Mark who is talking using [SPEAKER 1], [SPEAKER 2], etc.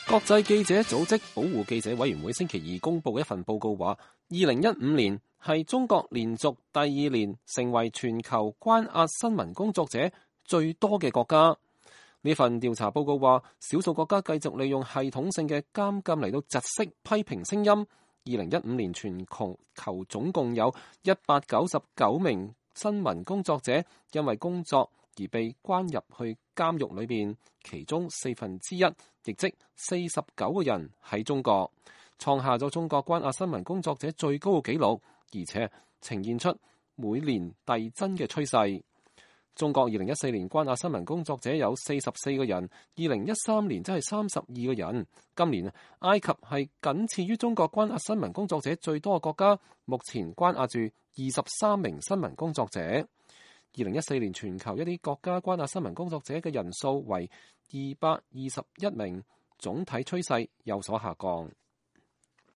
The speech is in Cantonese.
[SPEAKER 1] 國際記者組織保護記者委員會星期二公布一份報告話，2015年係中國連續第二年成為全球關押新聞工作者最多嘅國家。呢份調查報告話，少數國家繼續利用系統性嘅監禁嚟到窒息批評聲音。2015年全球總共有199名新聞工作者因為工作而被關入去監獄裏邊，其中1/4，亦即49個人喺中國，創下咗中國關押新聞工作者最高嘅紀錄，而且呈現出每年遞增嘅趨勢。中國2014年關押新聞工作者有44個人，2013年則係32個人。今年埃及係僅次於中國關押新聞工作者最多嘅國家，目前關押住23名新聞工作者。2014年全球一啲國家關押新聞工作者嘅人數為221名，總體趨勢有所下降。